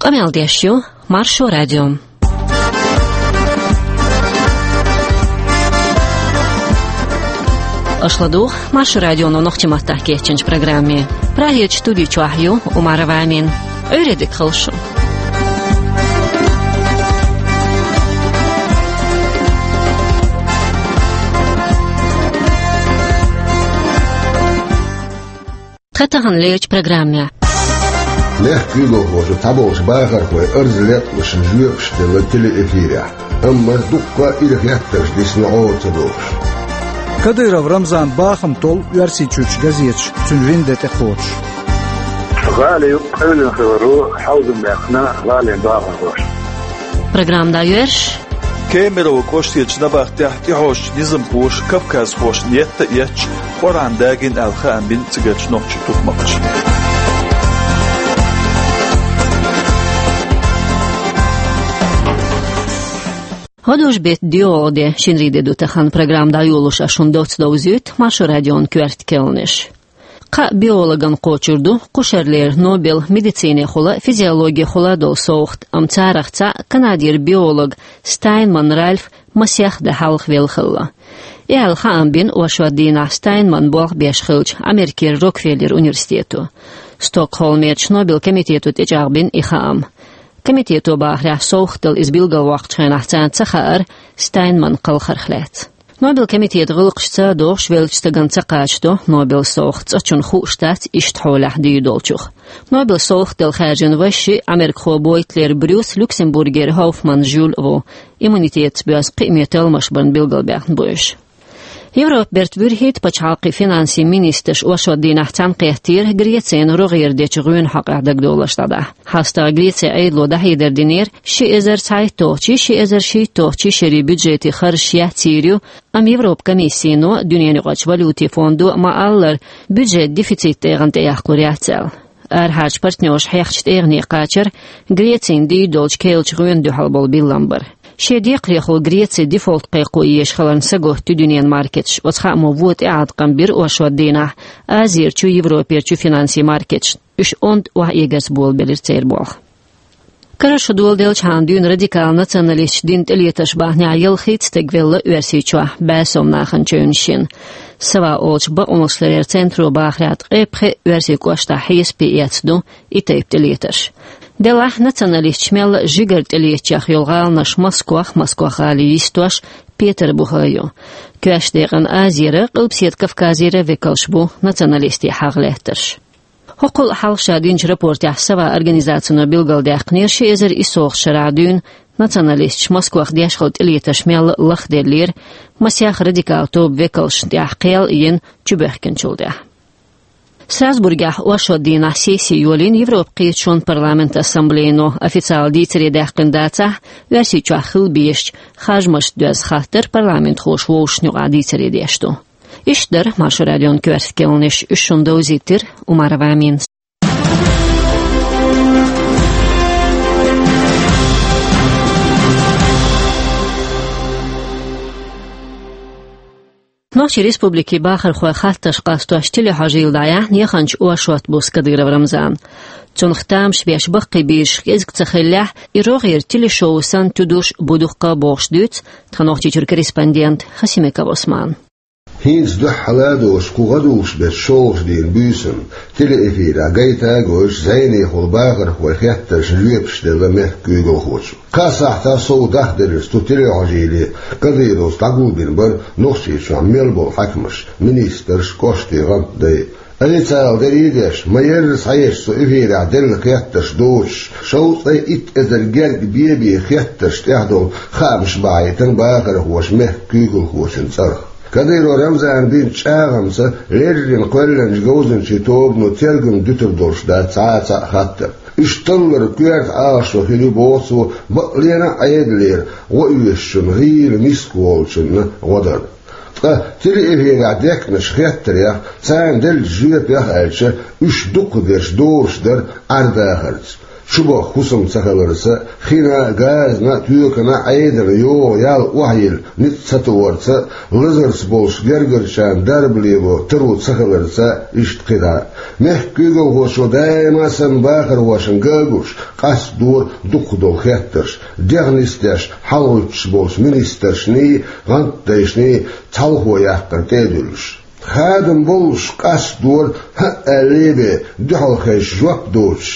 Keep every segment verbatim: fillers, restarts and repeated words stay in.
Къамел деш ю Маршо радио. Аша ладугӀу Маршо радионо нохчийн маттахь кечйинчу программе. Прагерчу студи чохь ю Умарова Амина. Ӏуьйре дика хуьлда шун. Тхан тахана лерчу программехь. Мехкан куьйгалхоша цхьаболчу бахархойн арз лелош жоьпаш делла телеэфирехь, амма дуккха а ирхеттарш дисна гӀо ца дохуш. Кадыров Рамзан бахам толлу Оьрсийчуьрчу газеташ цуьнан вина де тӀекхочуш. ГӀала юккъе къевлина хиларо хьовзам баьккхина гӀалин бахархоша. Программа дӀайоьрзуш. Кемерово кӀоштарчу набахтехь тӀехьожучу низамхоша кавказхошна етта а етташ, Къуръан дагийна аьлла хаам бина цигарчу нохчийн тутмакхаша. ГӀадужу-беттан доьалгӀа де, шинарин де ду тахана. Программа дӀайолош ас шуна доцца довзуьйту Маршо радион коьрта кхаьънаш. Кхаа биологана кхочур ду кхушарлера Нобелан медицинехула, физиологехула долу совгӀат, амма царах цхьаъ, Канадера биолог Стайнман Ральф, масех де хьалха велла хилла. И аьлла хаам бина оршот дийнахь Стайнман болх беш хиллачу Америкера Рокфеллер университето. Стокгольмерчу Нобелан комитето тӀечӀагӀбина и хаам. Комитето бахарехь, совгӀат дала иза билгалвоккхучу хенахь царна ца хаьара Стайнман кхалхарх лаьцна. Нобелан комитетан гӀиллакхаш ца дохуш веллачу стагана ца кхачадо Нобелан совгӀат, цкъачунна хууш дац иштта хьолехь дийр долчух. Нобелан совгӀат дала хаьржина вайшиъ, америкахо Бойтлер Брюс, Люксембургера Хоффман Жюль ву, иммунитетаца боьзна кхиаме талламаш барна билгалбаьхна бу уьш. Европан бертан вуьрхӀитта пачхьалкхийн финансийн министраш оршот дийнахь цхьаьнакхеттера Грецина рогӀера дечу гӀоьнан хьокъехь дагадовларш дӀадахьа. ХьастагӀа Грецин Ӏедало дӀахьедар динера, ши эзар цхьайтталгӀачий, ши эзар шийтталгӀачий шерийн бюджетийн харжаш яц йийр ю, амма Европан комиссино, Дуьненаюкъарчу валютийн фондо ма-аллара, бюджетан дефицит тӀегӀан тӀеяккхалур яц аьлла. Арахьарчу партнерша хьехначу тӀегӀане кхачар Грецина дийр долчу керлачу гӀоьнна дуьхьал болу биллам бара. Шен декхарехула Греци дефолт кхайкхо езаш хиларна сагатта ю дуьненан маркеташ. Оцу хаамо вон тӀеӀаткъам бира оршот дийнахь Азерчу, Европерчу финансийн маркеташна. Уьш онда охьаэгарца болабелира церан болх. Карара шо доладелчхьана дуьйна радикал националисташ дина тӀелетарш бахьанехь ялхитта стаг велла Оьрсийчохь бӀе сов нахана чевнаш йина. Сава олучу бакъонашларъяран центро бахарехь, ткъе пхи оьрсийн кӀоштахь хьесапе эцна ду и тайпа тӀелетарш. Делахь националисташ мелла а жигара тӀелетачех йолу гӀаланаш Москох, Москох-гӀале йистош, Петарбухе ю. Коьртачу декъана Азера, Къилбаседа Кавказера векалш бу националистийн хьагӀ лаьттарш. ХӀокхул а хьалха ша динчу рапортехь Сава организацино билгалдаьккхинера, ши эзар исс шарахь дуьйна националисташ Москох деш хилла тӀелетарш мелла а лахделлера, масех радикал тоба векалшна тӀехь кхел а йина, чубоьхкинчул тӀаьхьа. Страсбургехь оршот дийнахь сесси йолийна Европан кхеташонан парламентан ассамблейно. Официалан дийцаре даьккхина дацахь, Оьрсийчохь хила безачу харжамашна доьзна хаттар парламентхоша вовшашна юкъахь дийцаре деш ду. Иштта дара Маршо радион коьрта кхаьънаш, уьш шуна довзийтира Умарова Амина. Нохчийн республикин бахархойн хаттарш къастош телехьожийла дӀаяьхьна яханчу оршот бус Кадыров Рамзана. Цунах тамаш беш баккхий бийраш кӀезиг ца хиллехь, и рогӀера телешоу санна туьдуш бу дуккха а бохуш дуьйцу тхан Нохчийчуьра корреспондента Хасимиков Ӏусмана. ХӀинца дуьххьара а доцуш кху гӀадужу-беттан шолгӀачу дийнан буьйсанна телеэфирехь гайта а гойтуш, зӀенехула бахархойн хеттаршна жоьпаш делла мехкан куьйгалхочо. Кхаа сахьтах сов дахделларца цу телехьожийле Кадыровс дӀагулбина бара Нохчийчохь мел болу хьаькамаш, министрш, кӀоштийн гӀантдай. Официалан дерриг а деш, ма-ярра схьаэцча цу эфирехь делла хеттарш доцуш, шовзткъе итт эзар герга бен-бен хеттарш тӀехь долу хаамаш бахьийтина бахархоша мехкан куьйгалхочун цӀарах. Кадыров Рамзана бинчу чӀагӀамца леррина кхоьллинчу говзанчийн тобано тергам дуьтур долуш дац цхьа а цхьаъ хаттар. Уьш талларан коьрта Ӏалашо хир ю, боху цо, бакълена а Ӏедалера гӀо оьшучунна, гӀийла миска волчунна гӀо дар. Ткъа телеэфирехь дехкинчу хеттарех, царна деллачу жоьпех аьлча, уьш дукхахдерш доруш дара Ӏер-дахарца. Чубаха хӀусам ца хиларца, хина, газна, тоькана, Ӏедална йогӀу ял охьайилла ницкъ ца тоарца, лазарца болчу гергарчарна дарба лело таро ца хиларца, иштта кхидӀа. Мехкан куьйгалхочо даима санна бахархошна ган а гуш, къастадора дукхах долу хеттарш, дегӀ нисдеш хьалагӀоьттуш болчу министрашний, гӀантдайшний цхьалхо яккхар тӀе а дуьллуш. Хадам боллуш къастадора хӀаъ аьллий бен дуьхьал хезча жоп доцуш,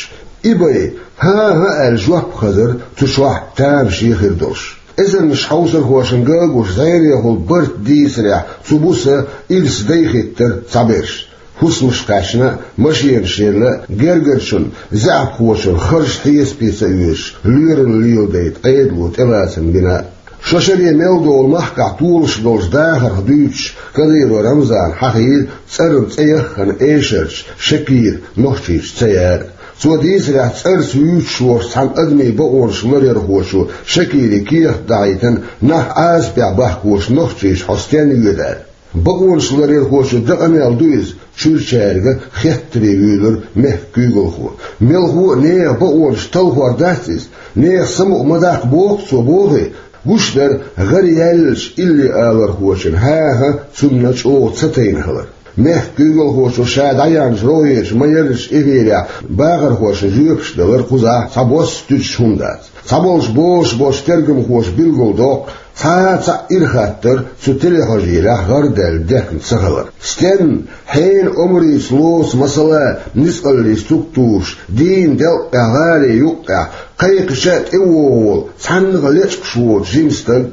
и бен хӀан-хӀа аьлла жоп хазар цу чохь тамашийна хир долуш. Эзарнаш хьовсархошна ган а гуш, зӀенехула барт дийцарехь, цу буса ирс дайхӀиттара цхьаберш. ХӀусамаш кхаьчна, машенаш елла, гергарчунна, заьӀапхочунна харж хьесапе ца оьцуш, лоьралла леладайта Ӏедало тӀелацам бина. Шо шаре мел долу махкахь толуш долчу дахарх дуьйцуш, Кадыров Рамзана хьахийра цӀарна цӀе яххана эшарчу Шакира Нохчийчу ца яра. Цо дийцарехь, цӀарца вуьйцуш волчу цхьана адамийн бакъонаш ларъярхочо Шакире кехат дахьийтина, нах Ӏазапехь бахкочу Нохчийчу хьо стенна воьду аьлла. Бакъонаш ларъярхочо дакъа мел ду иза, чуьрачаьрга хеттаре вуьйлура мехкан куьйгалхо. Мелхо а нехан бакъонаш талхор дац иза, нехан самукъа ма даккха боху цо, бохий? Гуш дара гӀара яьллачу илли алархочун хӀан-хӀа цунна чӀогӀа ца тайна хилар. Мехкан куьйгалхочо ша дӀаяьхьначу рогӀерчу майрачу эфирехь бахархошна жоьпаш далар кхузахь цхьабосса туьдуш хӀума дац. Цхьаболчу бозуш болчу тергамхоша билгалдоккху, цхьа а цхьаъ ира хаттар цу телехьожийлехь гӀардаьлла дехна ца хилар. Стенна хьенан омрица лоцу, масала, ницкъаллин структураш, дийнан делкъехь, гӀалин юккъехь, кхайкхича а тӀевогӀу волу, цхьаннах а лечкъаш воцу жима стаг,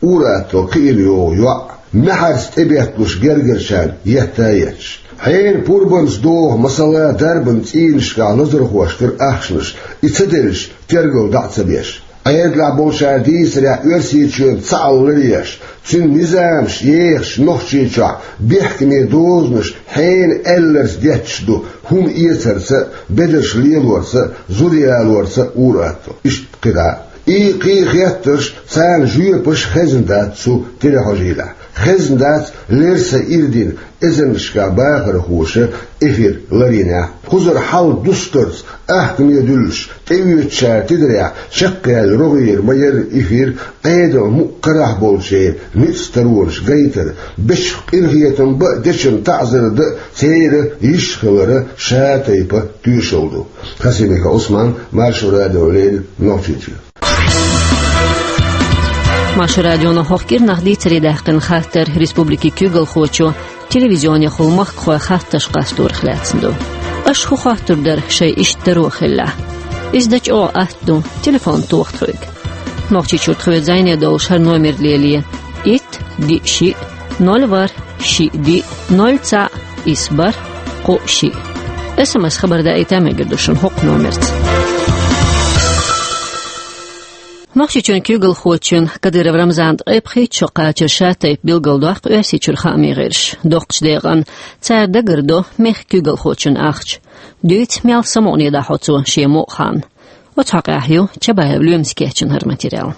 ур-атталла кхиъна йогӀу йоӀ, маьхьарца тӀебетталуш гергарчарна етта а етташ. Хьенан пурбанца догӀу, масала, дарбан цӀийнашкахь лазархошкара ахчанаш, и ца делча, тергал дӀа а ца беш. Ӏедалехь болчара дийцарехь, Оьрсийчоьнца цхьаалла ларъеш, цуьнан низамаш ехачу Нохчийчохь бехкаме дозанаш хьенан аьлларца детташ ду, хӀума эцарца а, бедарш лелорца а, зуда ялорца а ур-атталла. Иштта кхидӀа. И кхин а хеттарш, царна жоьпаш хезна дац цу телехьожийлехь. Хезна дац лерса ирдина эзарнашкахь бахархоша эфир ларйинехь. Кхузара хьал дустарца, ахкаме дуьллуш, тӀеоьцучара тидарехь, чекхъяьлла рогӀера ма-ярра эфир, Ӏедалан мукъа карахь болчеран ницкъ таронаш гайтар, бечух къинхетам бан а, дечунна таӀзар дан а церан йиш хиларан шатайпа тоьшалла ду. Хасимиков Ӏусман, Маршо радиона леррина, Нохчийчоь. Маршо радионо хӀокху кӀирнах дийцаре даьккхина хаттар республикин куьйгалхочо телевизионехула махкахой хаттарш къасторах лаьцна ду. Аша хӀун хоттур дара, шайн иштта таро хиллехь? Иза дан чӀогӀа атта ду, телефон тоха тхоьга. Нохчийчуьра тхоьца зӀене долуш хӀара номер лелае: итт, диъ, шиъ, ноль, ворхӀ, шиъ, диъ, ноль, цхьаъ, исс, бархӀ, кхоъ, шиъ. СМС хабар даийта а мегар ду шуна хӀокху номерца. Нохчийчоьнан куьйгалхочун Кадыров Рамзанан ткъе пхийтта шо кхачар шатайпа билгалдоккху Оьрсийчуьра хаамийн гӀирсаша. Доккхачу декъана цара дагардо мехкан куьйгалхочун ахча. Дуьйцу, мел самукъане дӀахьо цо шен мукъа хан. Оцу хьокъехь ю Чабаев Лоьмас кечйина хӀара материал.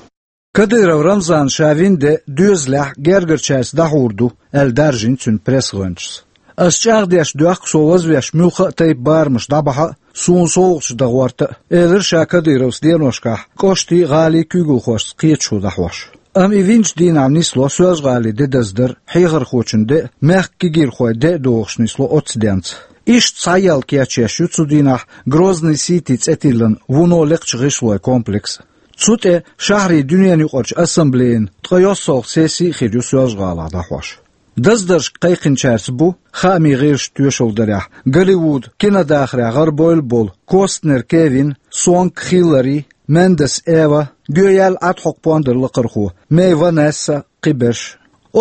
Кадыров Рамзана ша вина де доьзалехь гергарчаьрца дӀахьур ду, аьлла даржийна цуьнан пресс-гӀоьнчас. Ас чӀагӀдеш доьху со вазвеш муьлхха а тайпа барамаш дӀабахьа а, суна совгӀаташ дан гӀорта а, элира ша Кадыровс деношкахь кӀоштийн, гӀалин куьйгалхошца кхеташо дӀахьош. Амма и винчу дийнахь нисло Соьлжа-ГӀалин де даздар, хьехархочун де а, мехкан кегийрхойн де а догӀуш нисло оццу денца. Иштта схьаелла кечъеш ю цу дийнахь Грозный Сити цӀе тиллина вуно лекхачу гӀишлойн комплекс а. Цу тӀе шахьарийн дуьненаюкъарчу ассамблейн ткъе йоьссалгӀа сесси а хир ю Соьлжа-ГӀалахь дӀахьош. Даздаршка кхайкхинчаьрца бу хаамийн гӀирсаша тоьшалла дарехь, Голливуд кинодахарехь гӀарабевлла болу Костнер Кевин, Сонг Хиллари, Мендес Эва, гоьяьлла Ӏад хьокху пондар лакхархо Мэй Ванесса, кхиберш.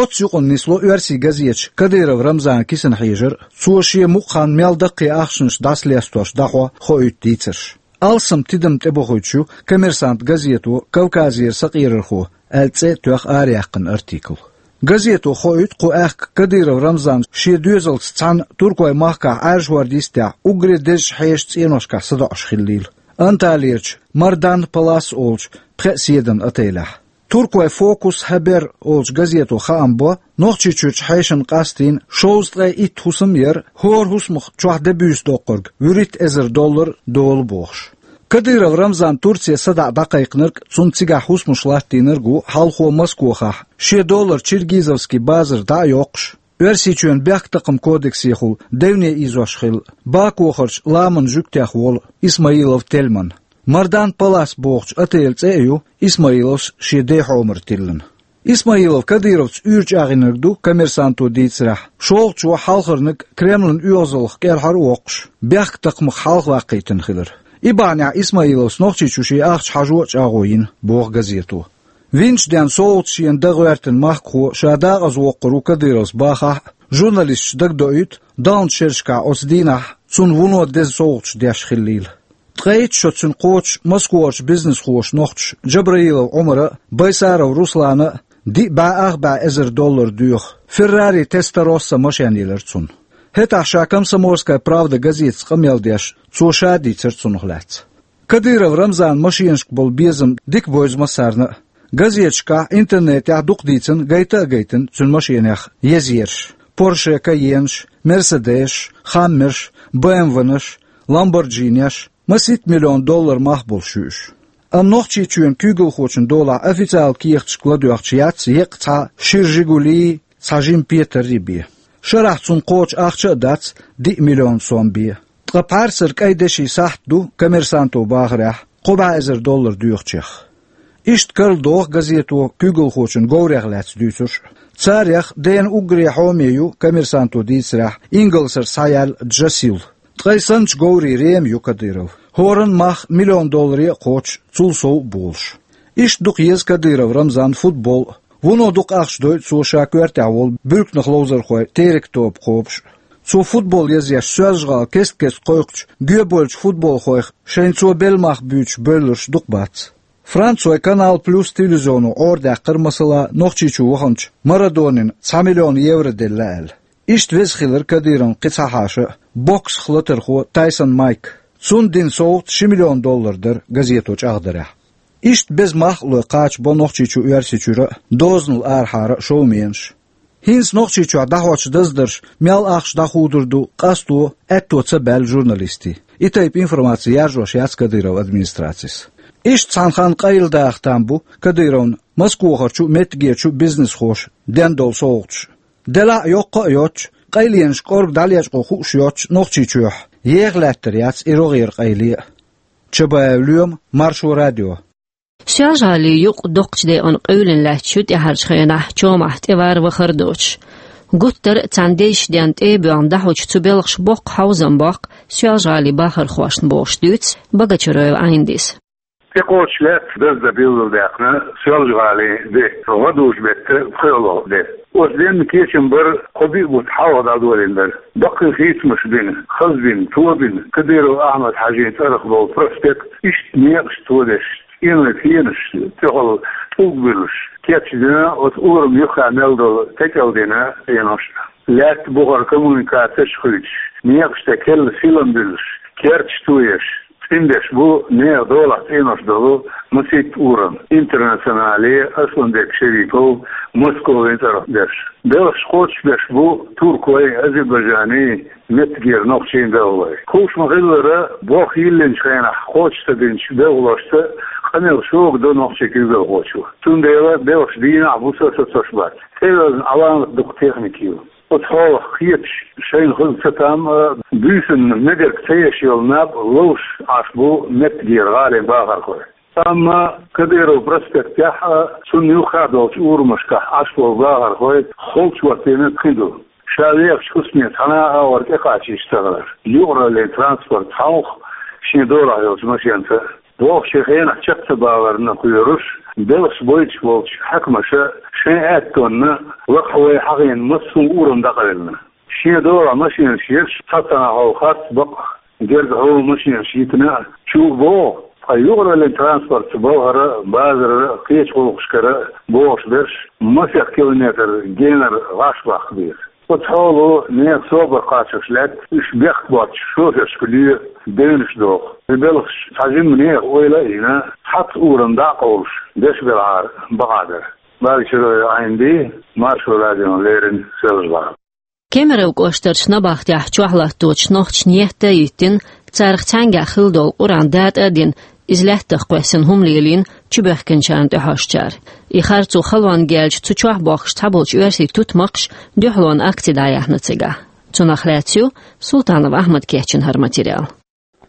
Оццу юкъана нисло оьрсийн газеташа Кадыров Рамзанан кисана хьежар а, цо шен мукъа хан мел даккхий ахчанаш дӀасалестош дӀахьо, хоуьйту дийцарш. Алсам тидам тӀебохуьйтуш ю «Коммерсант» газето «Кавказера сакъерархо» аьлла цӀе а тоьхна араяьккхина артикл. Газето хоуьйту кху аьхка Кадыров Рамзан шен доьзалца цхьаьна Туркойн махкахь Ӏаьржа хӀордан йистехь уггаре дезачу хьешан цӀеношкахь садоӀуш хиллийла, Анталиярчу Мардан Палас олучу пхеа седан отелехь. Туркойн «Фокус Хабер» олучу газето хаам бо, Нохчийчуьрчу хьешана къастийна шовзткъе итт хӀусам а яра, хӀора хӀусамах чохь де буьйса доккхург вуьрхӀитта эзар доллар долу бохуш. Кадыров Рамзан Турце садаӀа дӀакхайкхинарг, цунна цигахь хӀусамаш латтийнарг ву хьалхо Москохахь, шен доллар Чиргизовский базар дӀа а йоккхуш, Оьрсийчоьнан бехктакхаман кодексехула девне ийзош хилла, Бакохарчу ламанан жуьгтех волу Исмаилов Тельман. Мардан Палас бохучу отелан цӀе а ю Исмаиловс шен ден хьомара тиллина. Исмаилов Кадыровца уьйр чӀагӀйинарг ду, Коммерсанто дийцарехь, шолгӀачо хьалхарниг Кремлан оьгӀазаллах кӀелхьара а воккхуш, бехктакхамах хьалхаваккхийтина хилар. И бахьанехь Исмаиловс Нохчийчу шен ахча хьажо а чӀагӀо йина, боху газето. Винчу денна совгӀаташ шена дан гӀоьртина махкахо ша дакъаза воккхур ву Кадыровс бахахь а, журналисташ дагадоуьйту, даханчу шерашкахь оцу дийнахь цунна вуно деза совгӀаташ деш хиллийла. Ткъе итт шо цуьнан кхочуш Москварчу бизнесхоша нохчаша Джабраилов Ӏумара а, Байсаров Руслана а диъ бӀе ах бӀе эзар доллар доьху Феррари Тестаросса машен елира цунна. ХӀетахь ша Комсомольская правда газетаца къамел деш, цо ша дийцира цунах лаьцна. Кадыров Рамзанан машенашка болу безам дика бевза массарна а. Газеташкахь, интернетехь дукха дийцина, гайта а гайтина цуьнан машенех езъерш: Порше Кайенаш, Мерседесаш, Хаммерш, БМВ-наш, Ламборджинеш, масийтта миллион доллар мах болуш ю уьш. Амма Нохчийчоьнан куьйгалхочун долахь официалан кехаташка ладоьгӀча яц еккъа цхьа шира Жигули, цхьа жима Петарри бен. Шарахь цунна кхочу ахча а дац диъ миллион сом бен. Ткъа пхьарсара кӀайн деши сахьт ду, Коммерсанто бахарехь, кхо бӀе эзар доллар доьхучех. Иштта карладоху газето куьйгалхочун говрех лаьцна дуьйцурш а. Царех дена уггаре хьоме ю, Коммерсанто дийцарехь, ингалсара схьаяьлла Джасил. Ткъе санначу говрийн рема ю Кадыров. ХӀоранна мах миллион долларе а кхочуш, цул сов а болуш. Иштта дукха еза Кадыров Рамзанна футбол а. Вуно дукха ахча дойу цо ша коьртехь волу буьрканах ловзархой террин тоба кхобуш а. Цо футбол езъеш Соьлжа-ГӀала кест-кеста кхойкхучу гоьбевллачу футболхойх шайна цо белла мах буьйцуш бевлларш дукха бац. Францойн Канал Плюс телевизионо Ӏорадаьккхира, масала, Нохчийчу ваханчу Марадонина цхьа миллион евро делла аьлла. Иштта веза хилира Кадыровн кхин цхьа хьаша а, боксах латархо Тайсон Майк. Цунна дина совгӀат ши миллион доллар дара, газето чӀагӀдарехь. Иштта беза мах а лой кхача бо Нохчийчу Оьрсийчуьра а, дозанал арахьара а шовменаш. ХӀинца Нохчийчохь дӀахьочу даздарша мел ахча дӀахудур ду къасто аьтто ца баьлла журналистийн. И тайпа информаци яржош яц Кадыровн администрацис. Иштта цхьана ханна къайладаха там бу Кадыровн Москвахарчу а, меттигерчу а бизнесхоша ден долу совгӀаташ. Делахь а, йоккха а йоцуш, къайленаш кӀорга дӀалечкъо хууш йоцуш Нохчийчохь еха лаьттар яц и рогӀера къайле а. Чабаев Лоьма, Маршо радио. Соьлжа-ГӀалин юкъ доккхачу декъана къевлина лаьтташ ю тӀаьхьарчу хенахь чомахь тӀевар-вахар доцуш. Гуттар а царна дезачу денна тӀе а боьгӀна дӀахьочу цу белхаша боккха хьовзам боккху Соьлжа-ГӀалин бахархошна бохуш дуьйцу Богачароев Ӏайндис. ТӀекхочуш лаьтта даздан билгалдаьккхина Соьлжа-ГӀалин де, гӀадужу-беттан пхоьалгӀа де. Оцу денна кечам бара кхо-биъ бутт хьалха дӀадолийна дара. Баккхий хийцамаш бина, хаза бина, тобина, Кадыров Ахьмад-Хьаьжин цӀарах болу проспект иштта некъаш тодеш, цӀенойн пенаш, цӀехула тӀулг буьллуш, кечдина оцу урам юххехь мел долу текӀалдина цӀенош. Лаьтта бухара коммуникацеш а хуьйцуш, некъаш тӀе керла силам буьллуш, керташ тоеш, цӀиндеш бу нехан долахь цӀенош долу масийтта урам: Интернационале, Асланбек Шерипов, Московин цӀарах дерш. Белхаш кхочушбеш бу туркойн, азербайджанийн, меттигера нохчийн белхалой. Хууш ма-хиллара, болх йиллинчу хенахь кхочуш ца динчу белхалошца къамел шога до нохчийн куьйгалхочо. Цундела белхаш дийнахь а, буса а сацош бац. ТӀевеллачу Ӏаламат дукха техника ю. Оцу хьолах кхеташ, шайна хуьлу цатам а, буьйсанна мегарг ца еш йолу наб ловш Ӏаш бу меттигера гӀалин бахархой. Амма Кадыров проспектехь а, цунна юххехь долчу урамашкахь Ӏаш болу бахархой холчу хӀоттийна кхин ду. Ша вехачу хӀусаме цхьана а агӀор тӀекхачийча ца гӀар, юкъараллин транспорт хьовха шен долахь йолчу машенца. Вовшийн хенахь чекх ца баларна кхоьруш, белхаш бойтуш болчу хьаькамаша шайн аьттонна лакхахь вай хьахийна массо а урам дӀакъевлина. Шен долахь машенаш ерш цхьацца хьовха харц бакъ, герга хьо машенаш йитина а, чу богӀу, ткъа юкъараллин транспортца балхара а, базарара а, кхечу гӀуллакхашкара а богӀуш берш масех километр генара гӀаш баккха беза. Оцу хьоло нехан собар кхачош лаьтта, уьш бехк боцчу шофершка лоь, девнаш доху. И белхаш цхьа жимма нехан ойла а йина, цхьацца урам дӀа а къовлуш, деш белахьара бакъахь дара. Богачароев Ӏайнди, Маршо радиона леррина, Соьлжа-ГӀала. Кемеровн кӀоштарчу набахтехь чохь латточу нохчашна етта а йиттина, Царах цхьаьнгахь хилла долу Къуръан датӀа а дина, иза лаьттах кхоьссина хӀума лелийна чубоьхкинчарна тӀаьхьожучара. И харцо халонга яьлча, цу чохь бохкуш цхьаболчу оьрсийн тутмакхаша дуьхьалонан акци дӀаяьхьна цигахь. Цунах лаьцна ю Султанов Ахьмада кечйина хӀара материал.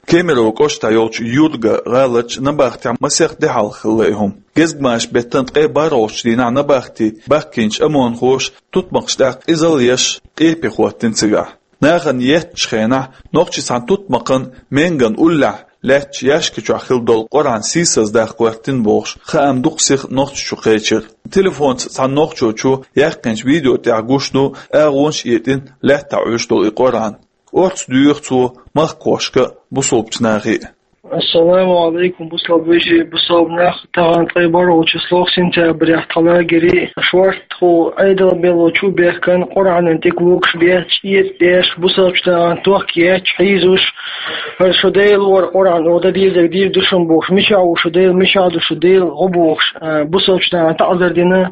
Кемерово кӀоштахь йолчу Юрга гӀаларчу набахтехь масех де хьалха хилла и хӀума. Гезгмашин беттан ткъе бархӀалгӀачу дийнахь набахти баьхкинчу ОМОНхоша тутмакхаш тӀехь къизалла еш, къепе хӀоттийна цигахь. Нахана еттачу хенахь нохчийн цхьана тутмакхана менган уллехь лаьттачу яьшка чохь хилла долу Къуръан сийсаздаккха гӀоьртина бохуш, хаам дукха сиха Нохчийчу кхечира. Телефонца цхьана нохчочо яьккхинчу видео тӀехь гуш ду агӀонаш а йитина лаьттахь Ӏуьйш долу и Къуръан. Орца доьху цо махкахошка а, бусалбачу нахе а. Ассаламу алейкум, бусалба вежарий, бусалба нах, тахана ткъе бархӀалгӀачу число сентябрехь тхан лагере шортта хӀу Ӏедал белла чу бехкан Къуръанан тӀе лугуш бетташ, эца деш, бусалбачу нахана тохка етташ, хьийзош, хӀара шу Дела вара Къуръан, оха дан дезарг дийр ду шуна бохуш, мичахь ву шу Дела, мичахь ду шу Дела гӀо бохуш, а, бусалбачу нахана таӀзар дина,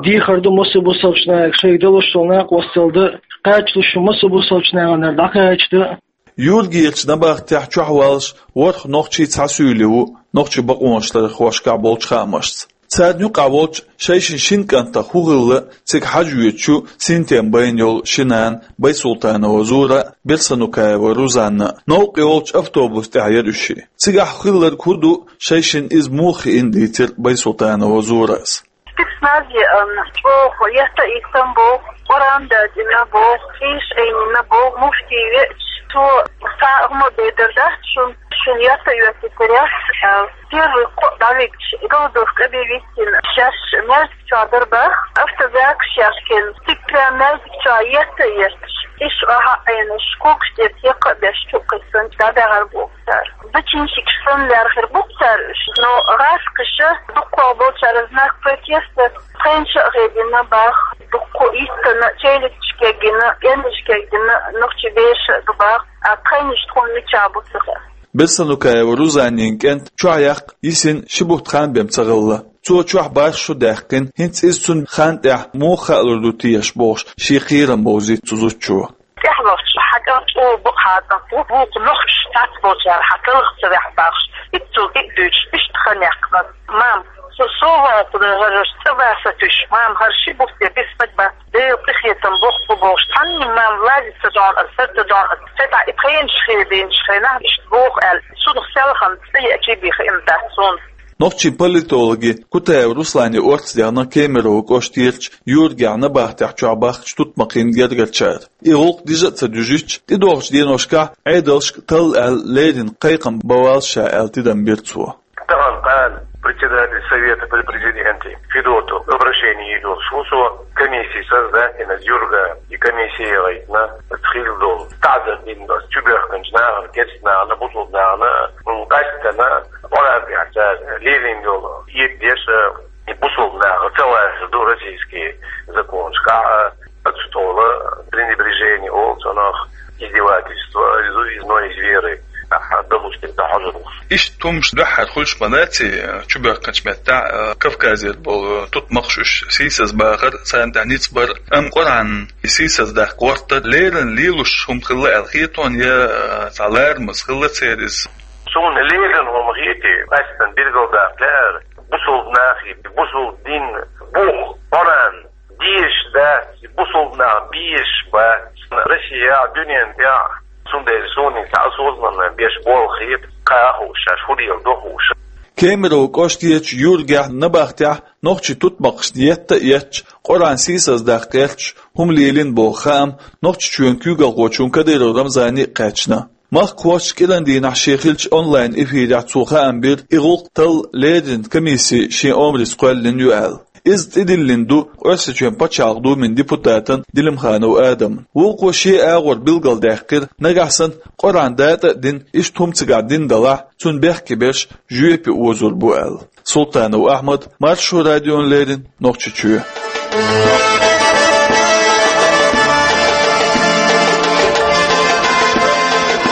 дехар ду массо а бусалбачу нахе, шайга далуш долу накъосталла дан, кхачалуш шу массо а бусалбачу нахана дӀакхача дан. Юргерчу набахтехь чохь валлаш ворхӀ нохчи цхьа суьйле ву нохчийн бакъонаш ларъярхошкахь болчу хаамашца. Царна юкъахь волчу шайшин шина кӀантах хӀун хилла цига хьажа воьдучу синтем байна йолу ши нана Байсултанова Зура а, Берсанукаева Рузанна а. Новкъа йолчу автобус тӀехь яра уьш. Цигахь хилларг хӀун ду, шайшинна иза муха хиина дийцира Байсултанова Зурас. Спецназ еана, чӀогӀа етта а йиттина боху, Къуръан датӀийна боху, хьийзаш Ӏийнийна боху, муфти веача, цо цхьа а хӀума бедар дац шуна, шуна етта а йоьттийтарехь, аьлла. Первый кхоъ дӀавигча, голодовка объявить йина, шаьш маьждиг чохь дара боху, автозакаш яьхкина, цига прям маьждиг чохь етта а етташ, иш охьа а Ӏийнаш, когаш тӀера текха а беш, чу а кхиссина, дӀадахьара боху цара. Зачинщикаш санна лаьрхира бу-кх цара уьш, но гӀазкхаша, дуккха болчара знак протеста тхайна ша а хедийна боху, дуккха йиттина, челядьш кегйина, кӀенташ кегйина нохчийн бераш а ду боху, а тхайнаш тхуна мичахь бу ца хаьа. Берсанукаева Рузанин кӀант чохь яккха йисина ши бутт хан бен ца хилла. Цо чохь бархӀ шу даьккхина, хӀинца иза цунна хан тӀехь муха хаалур ду теша бохуш, шен кхерам бовзийта цу зудчо. ТӀехь вахча хьан кӀант чӀогӀа бакъ хьаца, вукху нохчаша цхьацца болчара хьан талха ца ваьхьа бохуш, иццул кӀиъ дуьйцуш, иштта хан яьккхина. Мам, со совгӀатана хӀара цӀа баса туьйсу, мам, хӀара ши бутт бисмаг бац, Делан къинхетам боху бохуш, цхьанна мам ладица дона аса, сарта дона аса, цхьа тӀе и пхенаш хедийначу хенахь иштта боху аьлла, цунах селхана цӀа еачий бен хиъна дац суна. Нохчийн политологи Кутаев Руслане орца дехна Кемерово кӀоштерчу Юргехь набахтехь чохь бахкачу тутмакхийн гергарчара. И гӀуллакх дижа а ца дуьжуьйтуш, тӀедогӀучу деношкахь Ӏедалшка талла аьлла леррина кхайкхам бан валлаш ша аьлла тидам бира цо. Тахана кхана председатель Совета при президенте Федоту обращение йийр йолуш ву со, комиссия создать йина Юрга, и комиссия яхийтина, хилла долу таӀзар дина чубоьхкинчу нахана, керста нахана, бусулба нахана, м, къаьсттина, Къуръан тӀехь цара лелийна йолу эпидеш, и бусулба наха ца лазар ду российский законашкахь, а, оцу тола пренебрежение олу цунах, издевательство, из, из, ну, из веры, ахьа, далуш дерг дан хьожур ву. Иштта хӀумаш дуьххьара хуьлуш ма дац, э, чубоьхкинчу меттехь, э, Кавказера болу тутмакхаш уьш сийсаз бахар, царна тӀехь ницкъ бар, амма Къуръан и сийсаз даккха гӀортар леррина лелош хӀума хилла аьлла хета хьуна, я, э, цхьа ларамаза хилла церан иза? Суна леррина хӀума хетий, къаьсттина билгалдаккха лаьара, бусулба нахе, бусулба дин бух, Къуръан дезаш дац, бусулба нах безаш бац Россехь, дуьнен тӀехь, цундела суна и цхьа осознанно беш болу хета, кхин а хууш, шаьш хӀун леладо хууш. Кемерово кӀоштерчу Юргехь набахтехь нохчийн тутмакхашна етта а етташ, Къуръан сийсаз даккха гӀерташ хӀума лелийна боху хаам Нохчийчоьнан куьйгалхочунна Кадыров Рамзане а кхаьчна. Махкахошца кӀиран дийнахь шен хиллачу онлайн-эфирехь цо хаам бира, и гӀуллакх талла леррина комиссия шен омрица кхоьллина ю аьлла. Иза тӀедиллина ду Оьрсийчоьнан Пачхьалкхан Думин депутатан Делимханов Адаман. Вукхо шен агӀор билгалдаьккхира, нагахь санна Къуръан датӀа а дина, иштта хӀума цигахь дина далахь, цунна бехке берш жоьпе озор бу аьлла. Султанов Ахьмад, Маршо радиона леррина, Нохчийчоь.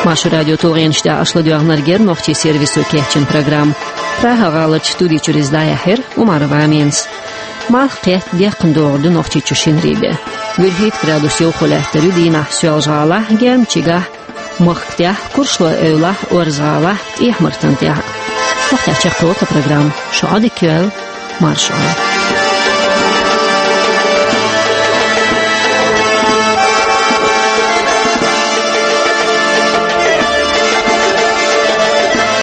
Маршо радион тулгӀенаш тӀехь аша ладоьгӀнарг яра нохчийн сервисо кечйина программа. Прага-гӀаларчу студи чуьра иза дӀаяьхьира Умарова Аминас. Малх кхетта, декхна догӀур ду Нохчийчу шинарин де. ВуьрхӀитта градус йовхо лаьттар ю дийнахь Соьлжа-ГӀалахь, Гермчигахь, махка тӀехь, Курчалой-Эвлахь, Орза-ГӀалахь, ТӀехьа-Мартан тӀехь. Махкахь чекхйолу тхан программа. Шун Ӏодика йойла, марша Ӏойла.